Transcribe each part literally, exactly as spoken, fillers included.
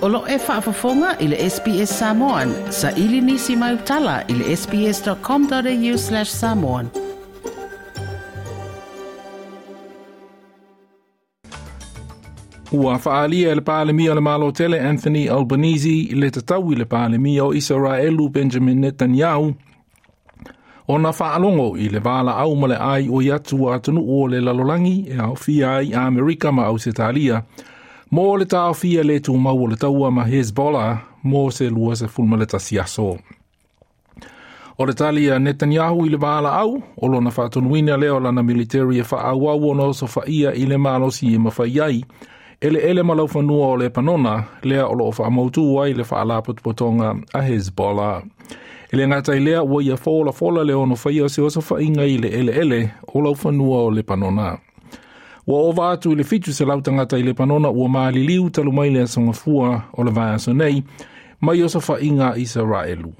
O lo e faafofoga i le S B S Samoan, sa ili nisi mai utala i le S B S dot com dot A U slash samoan. Ua faalia e le Palemia o le Malo Tele Anthony Albanese le tatau i le Palemia o Isaraelu Benjamin Netanyahu ona faalogo i le valaau ma le ai o i atu atunuu o le lalolagi e aofia ai Amerika ma Ausetalia mo le taofia le tumau o le taua ma Hezbollah mo se lua sefulu ma le tasi aso. O le tali a Netanyahu i le valaau, o lona faatonuina lea o lana military e faaauau ona osofaia i le malosi e mafai ai, eleele ma laufanua o Lepanona, lea o loo faamautu ai le faalapotopotoga a Hezbollah. E le gata i lea ua ia folafola le ono faia o se osofaiga i le eleele o laufanua o Lepanona. Ua ova atu i le fitu selau tagata i Lepanona ua maliliu talu mai le aso Gafua o le vaiaso nei, mai osofaiga a Isaraelu.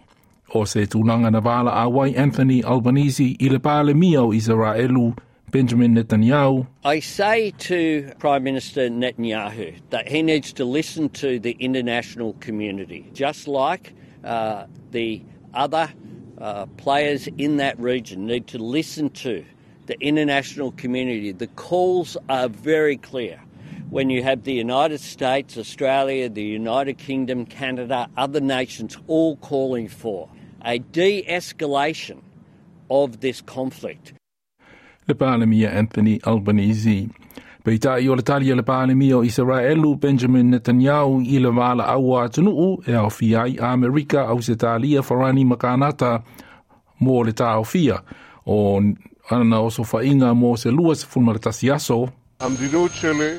O se tulaga na valaau ai Anthony Albanese i le Palemia o Isaraelu Benjamin Netanyahu. I say to Prime Minister Netanyahu that he needs to listen to the international community, just like uh, the other uh, players in that region need to listen to the international community. The calls are very clear. When you have the United States, Australia, the United Kingdom, Canada, other nations all calling for a de escalation of this conflict. Le Palemia Anthony Albanese. Peitai o le tali a le Palemia o Isaraelu Benjamin Netanyahu i le valaau a atunuu e aofia ai Amerika, Ausetalia, Farani ma Kanata mo le taofia o ana osofaiga mo se lua sefulu ma le tasi aso.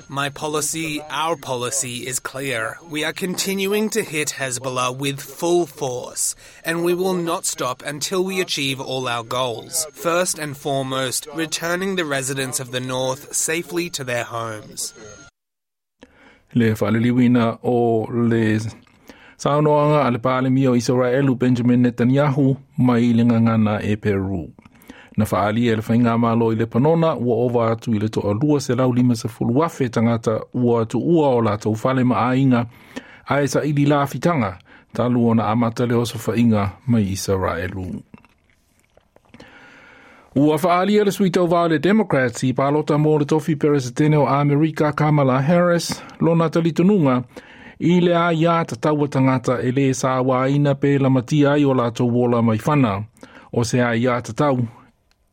My policy, our policy, is clear. We are continuing to hit Hezbollah with full force, and we will not stop until we achieve all our goals. First and foremost, returning the residents of the north safely to their homes. Le faaliliuina o le saunoaga a le Palemia o Isaraelu Benjamin Netanyahu mai le gagana Eperu. Na faalia e le faigamalo i Lepanona ua ova atu i le toalua selau lima sefulu afe tagata ua tuua o latou fale ma aiga ae saili lafitaga talu ona amata le osofaiga mai Isaraelu. Ua faalia le sui tauva le Democrats i palota mo le tofi peresetene o Amerika Kamala Harris lona talitonuga i le aiā tatau a tagata e lē sauaina pe lamatia ai o latou ola mai fana o se aiā tatau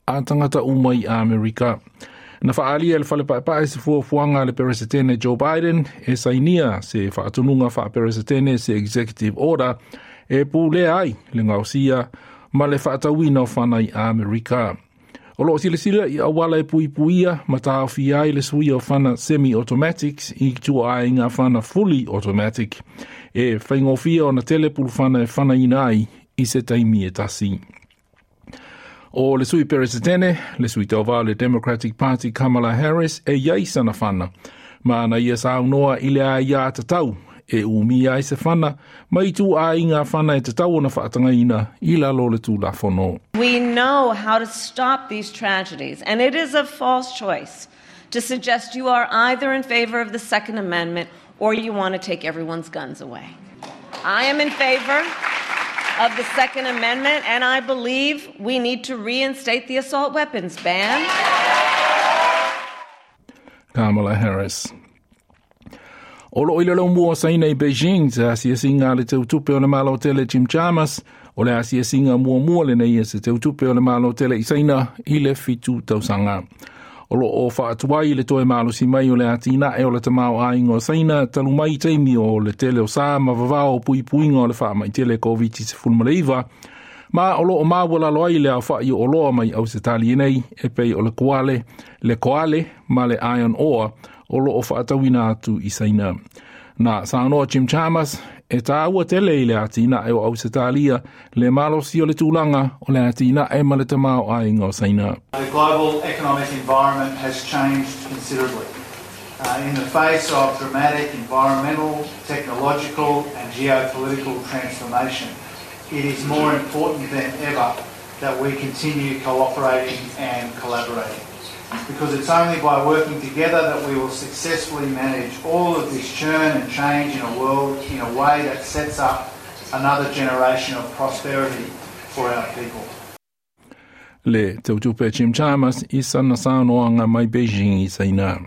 a tagata uma i Amerika. Na faalia e le Fale Paepae se fuafuaga a le Peresetene Joe Biden e sainia se faatonuga faaperesetene se executive order e pulea ai le gaosia ma le faatauina o fana i Amerika. O loo silasila i auala e puipuia ma taofia ai le suia o fana semi-automatics i ituaiga fana fully automatic e faigofie ona tele pulufana e fanaina ai i se taimi e tasi. O le sui peresetene, le sui tauva le Democratic Party Kamala Harris e iai sana fana. Ma na ia saunoa i le aiā tatau e umia ai se fana ma ituaiga fana e tatau ona faatagaina i lalo o le tulafono. We know how to stop these tragedies, and it is a false choice to suggest you are either in favor of the Second Amendment or you want to take everyone's guns away. I am in favor of the Second Amendment, and I believe we need to reinstate the assault weapons ban. Kamala Harris. O loo i le laumua Saina i Beijing se asiasiga a le teutupe o le Malo Tele Jim Chalmers o le asiasiga muamua lenei e se teutupe o le Malo Tele i Saina i le fitu tausaga. O loo faatuai le toe malosi mai o le atinae o le tamaoaiga o Saina talu mai taimi o le tele o sa ma vavao o puipuiga o le faamai tele COVID nineteen, ma o loo maualalo ai le aofa'i o oloa mai Ausetalia nei e pei o le koale, le koale ma le iron ore o loo faatauina atu i Saina. Na saunoa Jim Chalmers e tāua tele i le atinae o Ausetalia le malosi o le tulaga o le atinae ma le tamaoaiga o Saina. The global economic environment has changed considerably. Uh, in the face of dramatic environmental, technological and geopolitical transformation, it is more important than ever that we continue cooperating and collaborating. Because it's only by working together that we will successfully manage all of this churn and change in a world in a way that sets up another generation of prosperity for our people. Le tautupe Jim Chalmers i sana saunoaga mai Beijing i Saina.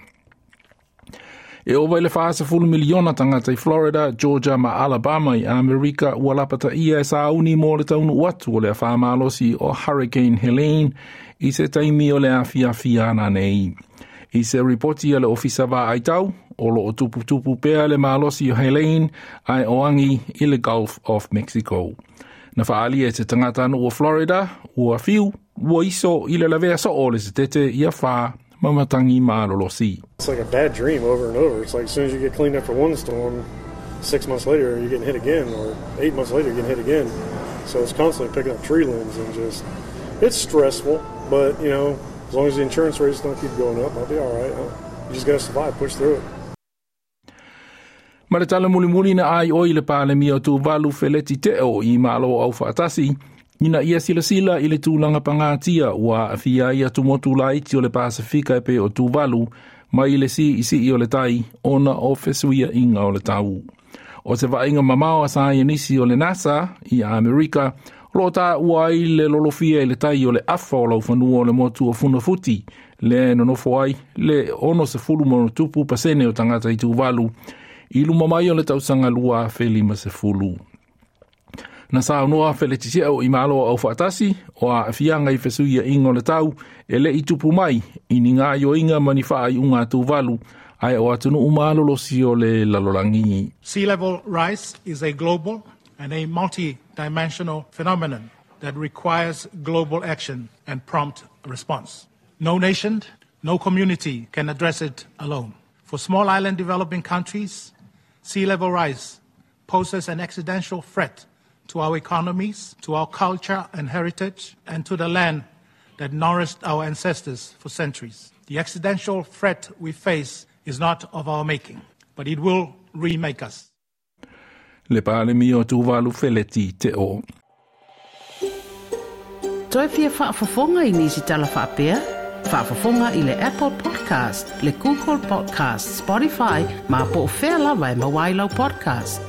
E ova i le fasefulu miliona tagata i Florida, Georgia ma Alabama i Amerika ua lapataia e sauni mo le taunuu atu o le afa malosi o Hurricane Helene i se taimi o le afiafi ananei. I se ripoti a le Ofisa Vaai Tau, o loo tuputupu pea le malosi o Helene ae o agi i le Gulf of Mexico. Na faalia e se tagatanuu o Florida, ua fiu, ua iso i le lavea soo o le setete i afa ma matagi malolosi. It's like a bad dream over and over. It's like as soon as you get cleaned up for one storm, six months later you're getting hit again, or eight months later you're getting hit again. So it's constantly picking up tree limbs and just, it's stressful, but you know, as long as the insurance rates don't keep going up, I'll be all right. Huh? You just gotta survive, push through it. Ma le tala mulimuli na ai oi le Palemia o Tuvalu Feleti Te'o i Malo Aufaatasi, ina ia silasila i le tulaga pagatia ua aafia ai atumotu laiti o le Pasifika e pei o Tuvalu mai le siisii o le tai ona o fesuiaiga o le tau. O se vaaiga mamao a saienisi o le NASA i Amerika, o loo taua ai le lolofia i le tai o le afa o laufanua o le motu o Funafuti, lea e nonofo ai le ono sefulu ma ona tupu pasene o tagata i Tuvalu, i luma mai o le tausaga lua afe lima sefulu. Na saunoa Feleti Te'o i Malo Aufaatasi o aafiaga i fesuiaiga o le tau e le'i tupu mai i ni gaoioiga ma ni faaiuga a Tuvalu ae o atunuu malolosi o le lalolagi. Sea level rise is a global and a multi-dimensional phenomenon that requires global action and prompt response. No nation, no community can address it alone. For small island developing countries, sea level rise poses an existential threat to our economies, to our culture and heritage, and to the land that nourished our ancestors for centuries. The existential threat we face is not of our making, but it will remake us. Le Palemia o Tuvalu Feleti Te'o. Toe fia faafofoga i nisi tala faapea? Faafofoga i le Apple Podcast, le Google Podcast, Spotify, ma po o fea lava e maua ai lau podcast.